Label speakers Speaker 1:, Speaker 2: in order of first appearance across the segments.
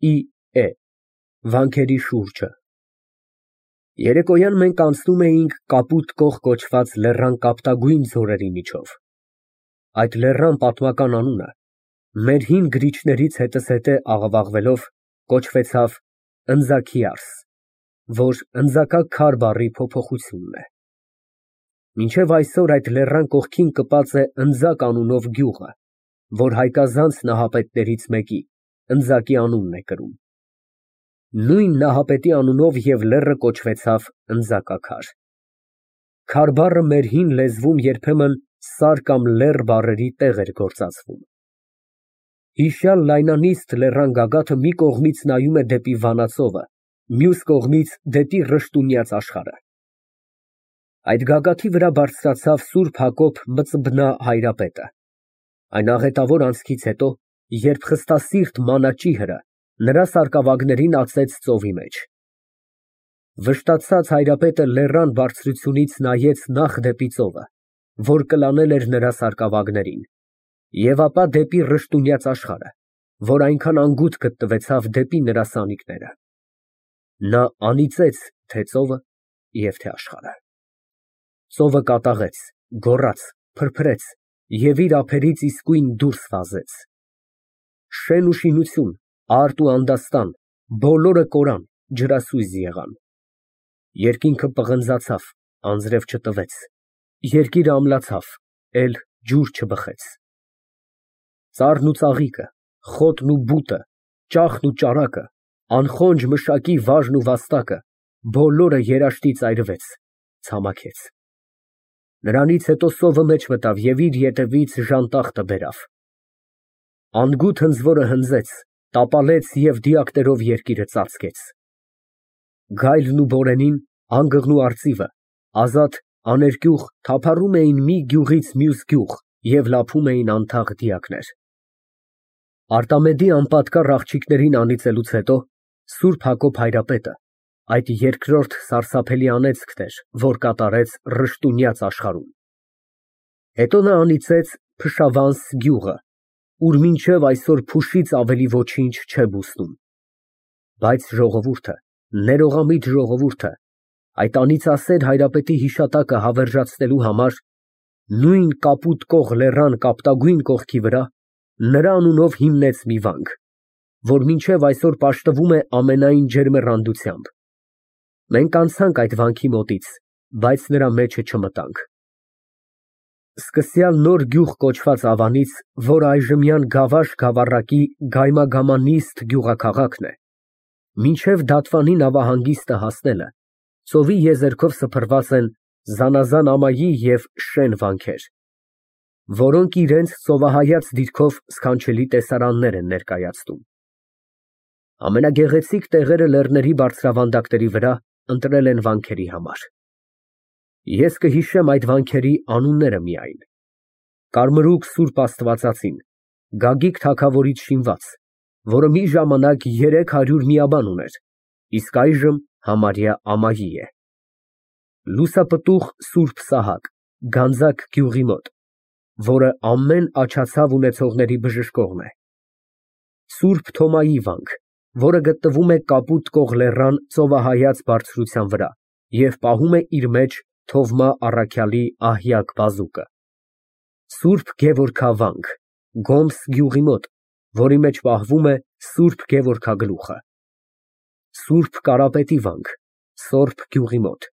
Speaker 1: Է վանքերի շուրջը։ Երեկոյան մենք անցնում էինք Կապուտ կող կոչված լեռան կապտագույն ձորերի միջով։ Այդ լեռան պատմական անունը մեր հին գրիչներից հետզհետե աղավաղվելով կոչվեցավ Ընձաքիարս, որ ընձակաքար բառի փոփոխությունն է։ Մինչև այսօր այդ լեռան կողքին կպած է Ընձակ անունով գյուղը, որ հայկազանց նահապետներից մեկի Ընձակի անունն է կրում։ Նույն նահապետի անունով և լեռը կոչվեցավ Ընձակաքար։ Քար բառը մեր հին լեզվում երբեմն սար կամ լեռ բառերի տեղ էր գործածվում։ Հիշյալ լայնանիստ լեռան գագաթը մի կողմից նայում է դեպի Վանաձորը, մյուս կողմից դեպի Ռշտունյաց աշխարհը։ Այդ գագաթի վրա բարձրացավ Սուրբ Հակոբ Մծբնա հայրապետը, այն աղետավոր անցքից հետո, երբ խստասիրտ մանաճիհրը նրա սարկավագներին ածեց ծովի մեջ։ Վշտացած հայրապետը լեռան բարձրությունից նայեց նախ դեպի ծովը, որ կլանել էր նրա սարկավագներին, և ապա դեպի Ռշտունյաց աշխարհը, որ այնքան անգութ գտնվեցավ դեպի նրա սանիկները։ Նա անիծեց թե ծովը և թե աշխարհը։ Ծովը կատաղեց, գոռաց, փրփրեց և իր ափերից իսկույն դուրս վազեց։ Շեն ու շինություն, արտ ու անդաստան, բոլորը կորան, ջրասույզ եղան։ Երկինքը պղնձացավ, անձրև չտվեց, երկիրը ամլացավ, էլ ջուր չբխեց։ Ծառն ու ծաղիկը, խոտն ու բուտը, ճախն ու ճարակը, անխոնջ մշակի վարժն ու վաստակը, բոլորը երաշտից այրվեց, ցամաքեց։ Նրանից հետո սովը մեջ մտավ և իր ետևից ժանտախտը բերավ։ Անգութ հնձվորը հնձեց, տապալեց և դիակներով երկիրը ծածկեց։ Գայլն ու բորենին, անգղն ու արծիվը, ազատ, աներկյուղ թափառում էին մի գյուղից մյուս գյուղ և լափում էին անթաղ դիակներ։ Արտամեդի անպատկառ աղջիկներին անիծելուց հետո Սուրբ Հակոբ հայրապետը այդ երկրորդ սարսափելի անեծքն էր, որ կատարեց Ռշտունյաց աշխարհում։ Հետո նա անիծեց Փշավանս գյուղը, ուր մինչև այսօր փուշից ավելի ոչինչ չէ բուսնում։ Բայց ժողովուրդը, ներողամիտ ժողովուրդը, այդ անիծասեր հայրապետի հիշատակը հավերժացնելու համար նույն Կապուտ կող լեռան կապտագույն կողքի վրա նրա անունով հիմնեց մի վանք, որ մինչև այսօր պաշտվում է ամենայն ջերմեռանդությամբ։ Մենք անցանք այդ վանքի մոտից, բայց նրա մեջը չմտանք։ Սկսյալ Նոր Գյուղ կոչված ավանից, որ այժմյան Գավաշ գավառակի գայմագամանիստ գյուղաքաղաքն է, մինչև Դատվանի նավահանգիստը հասնելը, ծովի եզերքով սփռված են զանազան ամայի և շեն վանքեր, որոնք իրենց ծովահայաց դիրքով սքանչելի տեսարաններ են ներկայացնում։ Ամենագեղեցիկ տեղերը լեռների բարձրավանդակների վրա ընտրել են վանքերի համար։ Ես կհիշեմ այդ վանքերի անունները միայն. Կարմրուկ Սուրբ Աստվածածին, Գագիկ թագավորից շինված, որը մի ժամանակ 300 միաբան ուներ, իսկ այժմ համարյա ամայի է։ Լուսապտուղ Սուրբ Սահակ, Գանձակ գյուղի մոտ, որը ամեն աջացավ ունեցողների բժշկողն է։ Սուրբ Թոմայի վանք, որը գտնվում է Կապուտ կող լեռան ծովահայաց բարձրության վրա և պահում է իր մեջ Թովմա առաքյալի Ահյակ բազուկը։ Սուրբ Գևորգա վանք, Գոմս գյուղի մոտ, որի մեջ պահվում է Սուրբ Գևորգագլուխը։ Սուրբ Կարապետի վանք, Սորբ գյուղի մոտ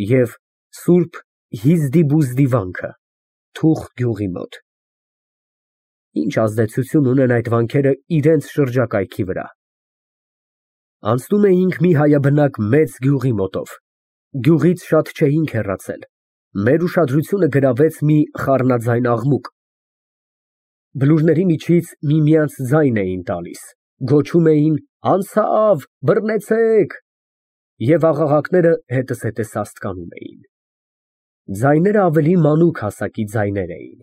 Speaker 1: և Սուրբ Հիզդիբուզդի վանքը, Թուխ գյուղի մոտ։ Ինչ ազդեցություն ունեն այդ վանքերը իրենց շրջակայքի վրա։ Անցնում էինք մի հայաբնակ մեծ գյուղի մոտով, գյուղից շատ չէինք հեռացել, մեր ուշադրությունը գրավեց մի խառնաձայն աղմուկ։ Բլուրների միջից միմյանց ձայն էին տալիս, գոչում էին «Անցավ, բռնեցեք» և աղաղակները հետզհետե սաստկանում էին։ Ձայները ավելի մանուկ հասակի ձայներ էին։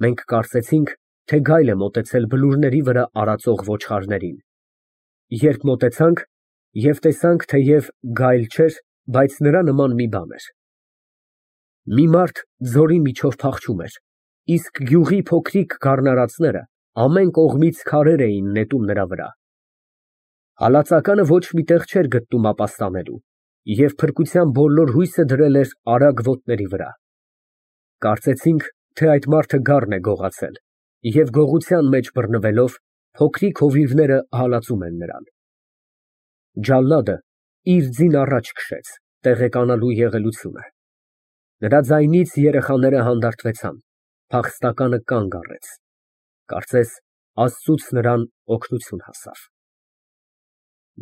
Speaker 1: Մենք կարծեցինք, թե գայլ է մոտեցել բլուրների վրա արածող ոչխարներին։ Երբ մոտեցանք և տեսանք, թեև գայլ չէր, բայց նրա նման մի բան էր։ Մի մարդ ձորի միջով փախչում էր, իսկ գյուղի փոքրիկ գառնարածները ամեն կողմից քարեր էին նետում նրա վրա։ Հալածականը ոչ մի տեղ չէր գտնում ապաստանելու և փրկության բոլոր հույսը դրել էր արագ ոտների վրա։ Կարծեցինք, թե այդ մարդը գառն է գողացել և գողության մեջ բռնվելով փոքրիկ հովիվները հալածում են նրան։ Ջալլադը իր ձին առաջ քշեց, տեղեկանալու եղելությունը։ Նրա ձայնից երեխաները հանդարտվեցան, փախստականը կանգ առեց, կարծես Աստծուց նրան օգնություն հասավ։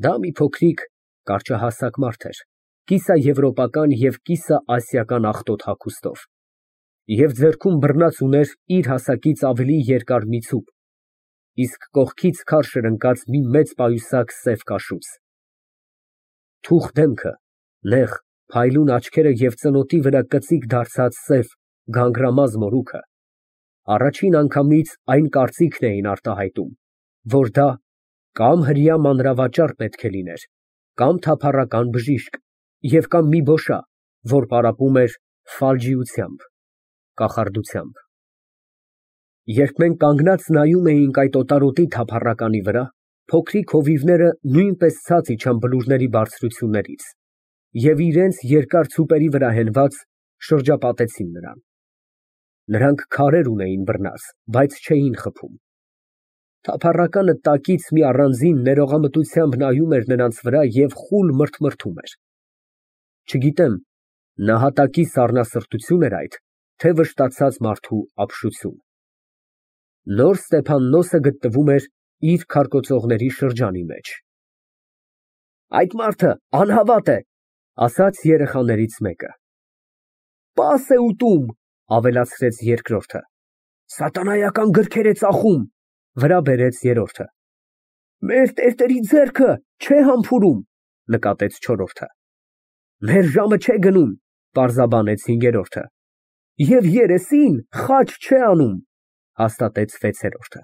Speaker 1: Դա մի փոքրիկ կարճահասակ մարդ էր, կիսաեվրոպական և կիսաասիական աղտոտ հագուստով, և ձեռքում բռնած ուներ իր հասակից ավելի երկար մի ցուպ, իսկ կողքից քարշ էր ընկած մի մեծ պայուսակ սև կաշուց։ Թուխ դեմքը, նեղ, փայլուն աչքերը և ծնոտի վրա կծիկ դարձած սև, գանգրամազ մորուքը առաջին անգամից այն կարծիքն էին արտահայտում, որ դա կամ հրեա մանրավաճառ պետք է լիներ, կամ թափառական բժիշկ և կամ մի բոշա, որ պարապում էր ֆալջիությամբ, կախարդությամբ։ Երբ մենք կանգնած նայում էինք այդ օտարոտի թափառականի վրա, փոքրիկ հովիվները նույնպես ցած իջան բլուրների բարձրություններից և իրենց երկար ցուպերի վրա հենված շրջապատեցին նրան։ Նրանք քարեր ունեին բռնած, բայց չէին խփում։ Թափառականը տակից մի առանձին ներողամտությամբ նայում էր նրանց վրա և խուլ մրթմրթում էր։ Չգիտեմ, նահատակի սառնասրտություն էր այդ, թե վշտացած մարդու ապշություն։ Նոր Ստեփաննոսը գտնվում էր իր քարկոծողների շրջանի մեջ։ Այդ մարդը անհավատ է, ասաց երեխաներից մեկը։ Պաս է ուտում, ավելացրեց երկրորդը։ Սատանայական գրքեր է ծախում, վրա բերեց երրորդը։ Մեր տերտերի ձեռքը չէ համբուրում, նկատեց չորրորդը։ Մեր ժամը չէ գնում, պարզաբանեց հինգերորդը։ Եվ երեսին խաչ չէ անում, հաստատեց վեցերորդը։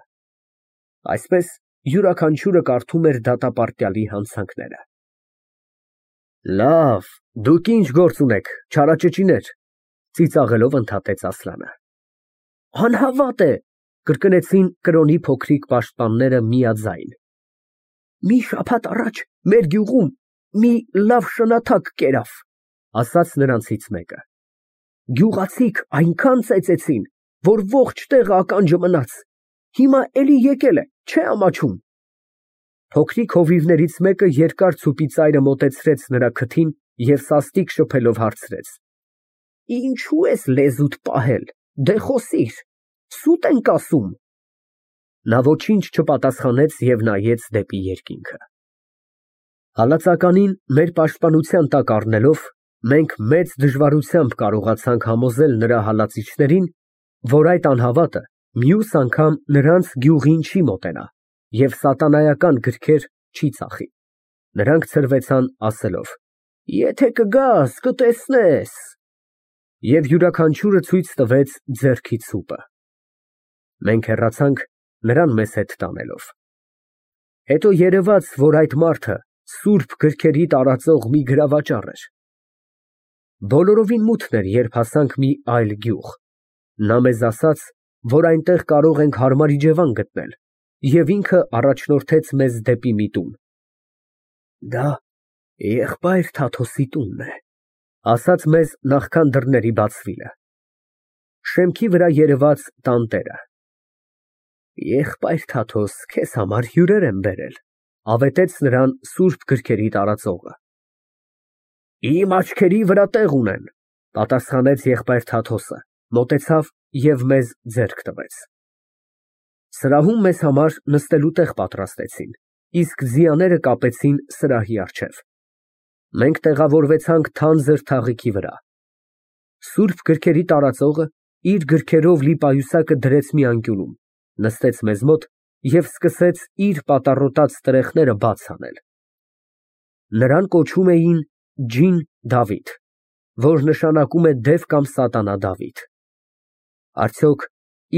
Speaker 1: Այսպես յուրաքանչյուրը կարդում էր դատապարտյալի հանցանքները։ Լավ, դուք ինչ գործ ունեք, չարաճճիներ, ծիծաղելով ընդհատեց Ասլանը։ Անհավատ է, կրկնեցին կրոնի փոքրիկ պաշտպանները միաձայն։ Մի շաբաթ առաջ մեր գյուղում մի լավ շնաթակ կերավ, ասաց նրանցից մեկը։ Գյուղացիք այնքան ծեծեցին, որ ողջ տեղը ականջը մնաց։ Հիմա էլի եկել է, չէ ամաչում։ Փոքրիկ հովիվներից մեկը երկար ցուպի ծայրը մոտեցրեց նրա քթին և սաստիկ շփելով հարցրեց. Ինչու ես լեզուդ պահել, դե խոսիր, սուտ ենք ասում։ Նա ոչինչ չպատասխանեց և նայեց դեպի երկինքը։ Հալածականին մեր պաշտպանության տակ առնելով, մենք մեծ դժվարությամբ կարողացանք համոզել նրա հալածիչներին, որ այդ անհավատը մյուս անգամ նրանց գյուղին չի մոտենա և սատանայական գրքեր չի ծախի։ Նրանք ցրվեցան ասելով. Եթե կգաս, կտեսնես։ Եվ յուրաքանչյուրը ցույց տվեց ձեռքի ցուպը։ Մենք հեռացանք, նրան մեզ հետ տանելով։ Հետո երևաց, որ այդ մարդը սուրբ գրքերի տարածող մի գրավաճառ էր։ Բոլորովին մութն էր, երբ հասանք մի այլ գյուղ։ Նա մեզ ասաց, որ այնտեղ կարող ենք հարմար իջևան գտնել, և ինքը առաջնորդեց մեզ դեպի մի տուն։ Դա եղբայր Թաթոսի տունն է, ասաց մեզ նախքան դռների բացվելը։ Շեմքի վրա երևաց տանտերը։ Եղբայր Թաթոս, քեզ համար հյուրեր եմ բերել, ավետեց նրան սուրբ գրքերի տարածողը։ Իմ աչքերի վրա տեղ ունեն, պատասխանեց եղբայր Թաթոսը, մոտեցավ և մեզ ձեռք տվեց։ Սրահում մեզ համար նստելու տեղ պատրաստեցին, իսկ ձիաները կապեցին սրահի առջև։ Մենք տեղավորվեցանք թանձր թաղիքի վրա։ Սուրբ գրքերի տարածողը իր գրքերով լի պայուսակը դրեց մի անկյունում, նստեց մեզ մոտ և սկսեց իր պատառոտած տրեխները բաց անել։ Նրան կոչում էին Ջին Դավիթ, որ նշանակում է դև կամ սատանա Դավիթ։ Արդյոք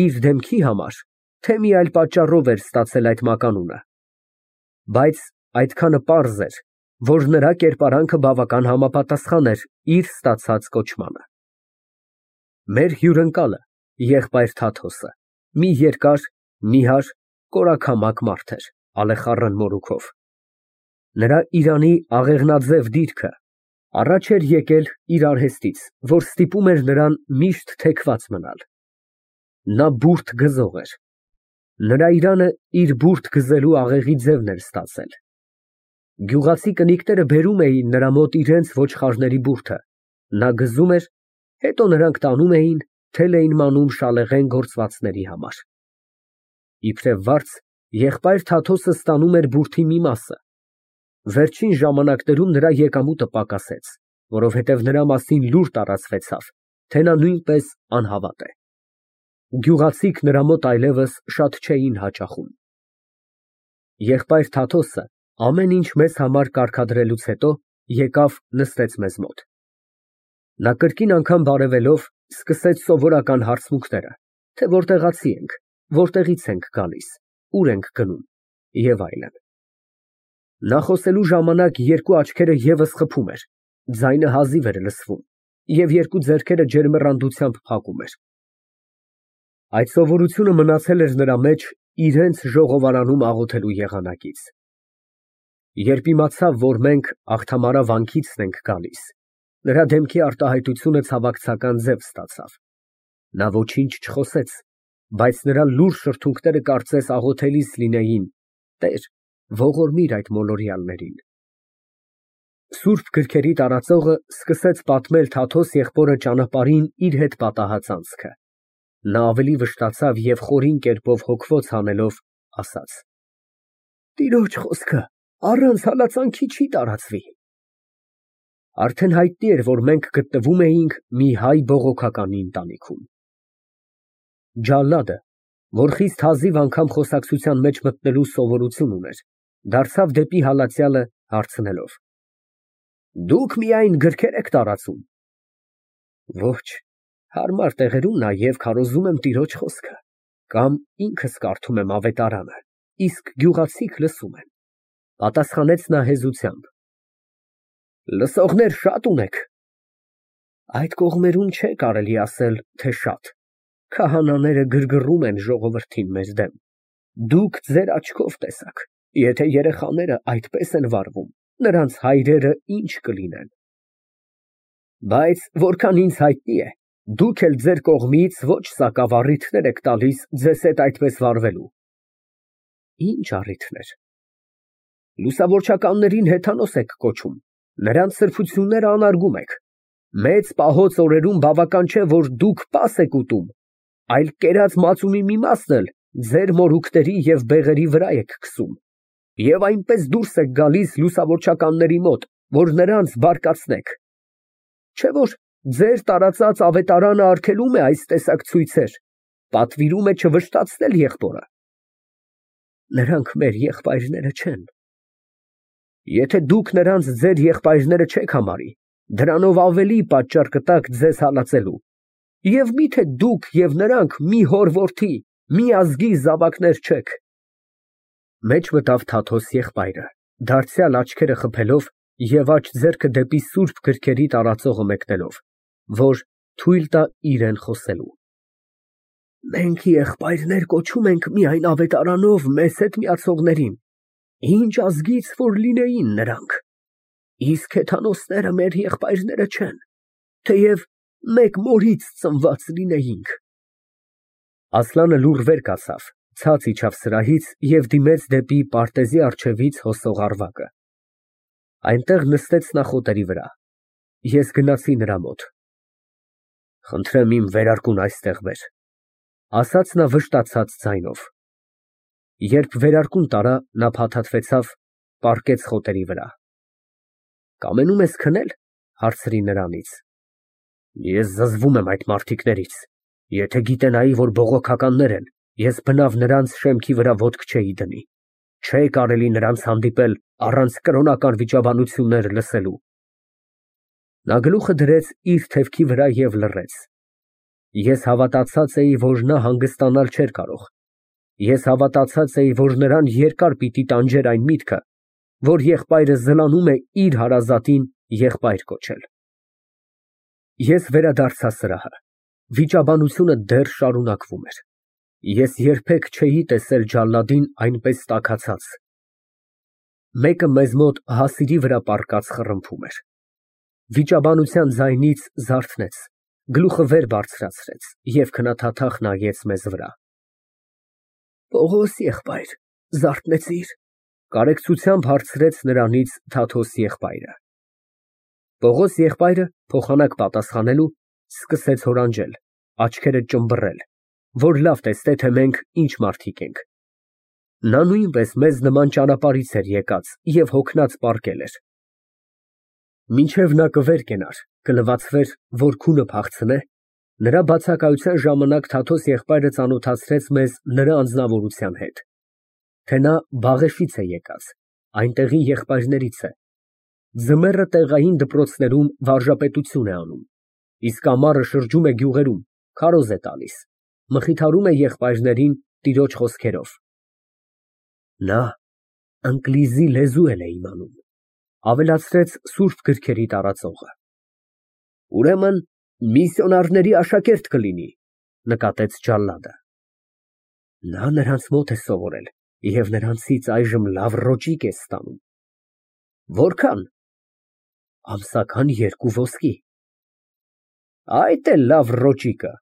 Speaker 1: իր դեմքի համար, թե մի այլ պատճառով էր ստացել այդ մականունը։ Բայց այդքանը պարզ էր, որ նրա կերպարանքը բավական համապատասխան էր իր ստացած կոչմանը։ Մեր հյուրընկալը, եղբայր Թաթոսը, մի երկար, նիհար, կորակամակ մարդ էր, ալեխառն մորուքով։ Նրա իրանի աղեղնաձև դիրքը առաջ էր եկել իր արհեստից, որ ստիպում էր նրան միշտ թեքված մնալ։ Նա բուրդ գզող էր։ Նրա իրանը իր բուրդ գզելու աղեղի ձևն էր ստացել։ Գյուղացի կնիկները բերում էին նրա մոտ իրենց ոչխարների բուրդը, նա գզում էր, հետո նրանք տանում էին, թել էին մանում շալեղեն գործվածների համար։ Իբրև վարձ, եղբայր Թաթոսը ստանում էր բուրդի մի մասը։ Վերջին ժամանակներում նրա եկամուտը պակասեց, որովհետև նրա մասին լուր տարածվեցավ, թե նա նույնպես անհավատ է։ Գյուղացիք նրա մոտ այլևս շատ չէին հաճախում։ Եղբայր Թաթոսը ամեն ինչ մեզ համար կարգադրելուց հետո եկավ նստեց մեզ մոտ։ Նա կրկին անգամ բարևելով սկսեց սովորական հարցմունքները, թե որտեղացի ենք, որտեղից ենք գալիս, ուր ենք գնում և այլն։ Նա խոսելու ժամանակ երկու աչքերը ևս խփում էր, ձայնը հազիվ էր լսվում և երկու ձեռքերը ջերմեռանդությամբ փակում էր։ Այդ սովորությունը մնացել էր նրա մեջ իրենց ժողովարանում աղոթելու եղանակից։ Երբ իմացավ, որ մենք Աղթամարա վանքիցն ենք գալիս, նրա դեմքի արտահայտությունը ցավակցական ձև ստացավ։ Նա ոչինչ չխոսեց, բայց նրա լուռ շրթունքները կարծես աղոթելիս լինեին. «Տեր, ողորմիր այդ մոլորյալներին»։ Սուրբ գրքերի տարածողը սկսեց պատմել Թաթոս եղբորը ճանապարհին իր հետ պատահած անցքը։ Նա ավելի վշտացավ և խորին կերպով հոգվոց հանելով ասաց. «Տիրոջ խոսքը առանց հալածանքի չի տարածվի»։ Արդեն հայտնի էր, որ մենք գտնվում էինք մի հայ բողոքականի ընտանիքում։ Ջալլադը, որ խիստ հազիվ անգամ խոսակցության մեջ մտնելու սովորություն ուներ, դարձավ դեպի հալածյալը հարցնելով. «Դուք միայն գրքեր եք տարածում»։ Ոչ, հարմար տեղերում նաև քարոզում եմ տիրոջ խոսքը, կամ ինքս կարդում եմ ավետարանը, իսկ գյուղացիք լսում են, պատասխանեց նա հեզությամբ։ Լսողներ շատ ունեք։ Այդ կողմերում չէ կարելի ասել, թե շատ։ Քահանաները գրգռում են ժողովրդին մեր դեմ։ Դուք ձեր աչքով տեսաք, եթե երեխաները այդպես են վարվում, նրանց հայրերը ինչ կլինեն։ Բայց որքան ինձ հայտնի է, դուք էլ ձեր կողմից ոչ սակավ առիթներ եք տալիս ձեզ հետ այդպես վարվելու։ Ինչ առիթներ։ Լուսավորչականներին հեթանոս եք կոչում, նրանց սրբությունները անարգում եք։ Մեծ պահոց օրերում բավական չէ, որ դուք պաս եք ուտում, այլ կերած մածունի մի մասն էլ ձեր մորուքների և բեղերի վրա եք քսում, և այնպես դուրս եք գալիս լուսավորչականների մոտ, որ նրանց բարկացնեք։ Չէ՞ որ ձեր տարածած ավետարանը արգելում է այս տեսակ ցույցեր, պատվիրում է չվշտացնել եղբորը։ Նրանք մեր եղբայրները չեն։ Եթե դուք նրանց ձեր եղբայրները չեք համարի, դրանով ավելի պատճառ կտաք ձեզ հալածելու։ Եվ միթե դուք և նրանք մի հոր որդի, մի ազգի զավակներ չեք։ Մեջ մտավ Թաթոս եղբայրը, դարձյալ աչքերը խփելով և աջ ձեռքը դեպի սուրբ գրքերի տարածողը մեկնելով, որ թույլ տա իրան խոսելու։ Մենք եղբայրներ կոչում ենք միայն ավետարանով մեզ հետ միացողներին, ինչ ազգից որ լինեին նրանք, իսկ հեթանոսները մեր եղբայրները չեն, թեև մեկ մորից ծնված լինեինք։ Ասլանը լուռ վեր կացավ, ցած իջավ սրահից և դիմեց դեպի պարտեզի առջևից հոսող առվակը։ Այնտեղ նստեց նախոտերի վրա։ Ես գնացի նրա մոտ։ Խնդրեմ իմ վերարկուն այստեղ բեր, ասաց նա վշտացած ձայնով։ Երբ վերարկուն տարա, նա փաթաթվեցավ, պառկեց խոտերի վրա։ Կամենում ես քնել, հարցրի նրանից։ Ես զզվում եմ այդ մարդիկներից, եթե գիտենայի, որ բողոքականներ են, ես բնավ նրանց շեմքի վրա ոտք չէի դնի, չէ կարելի նրանց հանդիպել առանց կրոնական վիճաբանություններ լսելու։ Նա գլուխը դրեց իր թևքի վրա և լռեց։ Ես հավատացած էի, որ նա հանգստանալ չէր կարող։ Ես հավատացած էի, որ նրան երկար պիտի տանջեր այն միտքը, որ եղբայրը զլանում է իր հարազատին եղբայր կոչել։ Ես վերադարձա սրահը։ Վիճաբանությունը դեռ շարունակվում էր։ Ես երբեք չէի տեսել ջալադին այնպես տաքացած։ Մեկը մեզ մոտ հասիրի վրա պառկած խռմփում էր։ Վիճաբանության ձայնից զարթնեց, գլուխը վեր բարձրացրեց և քնաթաթախ նայեց մեզ վրա։ Պողոս եղբայր, զարթնեցի՞ր։ Կարեկցությամբ հարցրեց նրանից Թաթոս եղբայրը։ Պողոս եղբայրը փոխանակ պատասխանելու սկսեց հորանջել, աչքերը ճմբռել, որ լավ տեսնե, թե մենք ինչ մարդիկ ենք։ Նա նույնպես մեզ նման ճանապարհից էր եկած և հոգնած պառկել էր։ Մինչև նա կվեր կենար, կլվացվեր, որ քունը փախցնե, նրա բացակայության ժամանակ Թաթոս եղբայրը ծանոթացրեց մեզ նրա անձնավորության հետ, թե նա Բաղեշից է եկած, այնտեղի եղբայրներից է, ձմեռը տեղային դպրոցներում վարժապետություն է անում, իսկ ամառը շրջում է գյուղերում, քարոզ է տալիս, մխիթարում է եղբայրներին տիրոջ խոսքերով։ Նա ընկլիզի լեզու էլ է իմանում, ավելացրեց սուրբ գրքերի տարածողը։ Ուրեմն միսիոնարների աշակերտ կլինի, նկատեց ջալլադը։ Նա նրանց մոտ է սովորել և նրանցից այժմ լավ ռոճիկ է ստանում։ Որքան։ Ամսական 2 ոսկի։ Այդ է լավ ռոճիկը։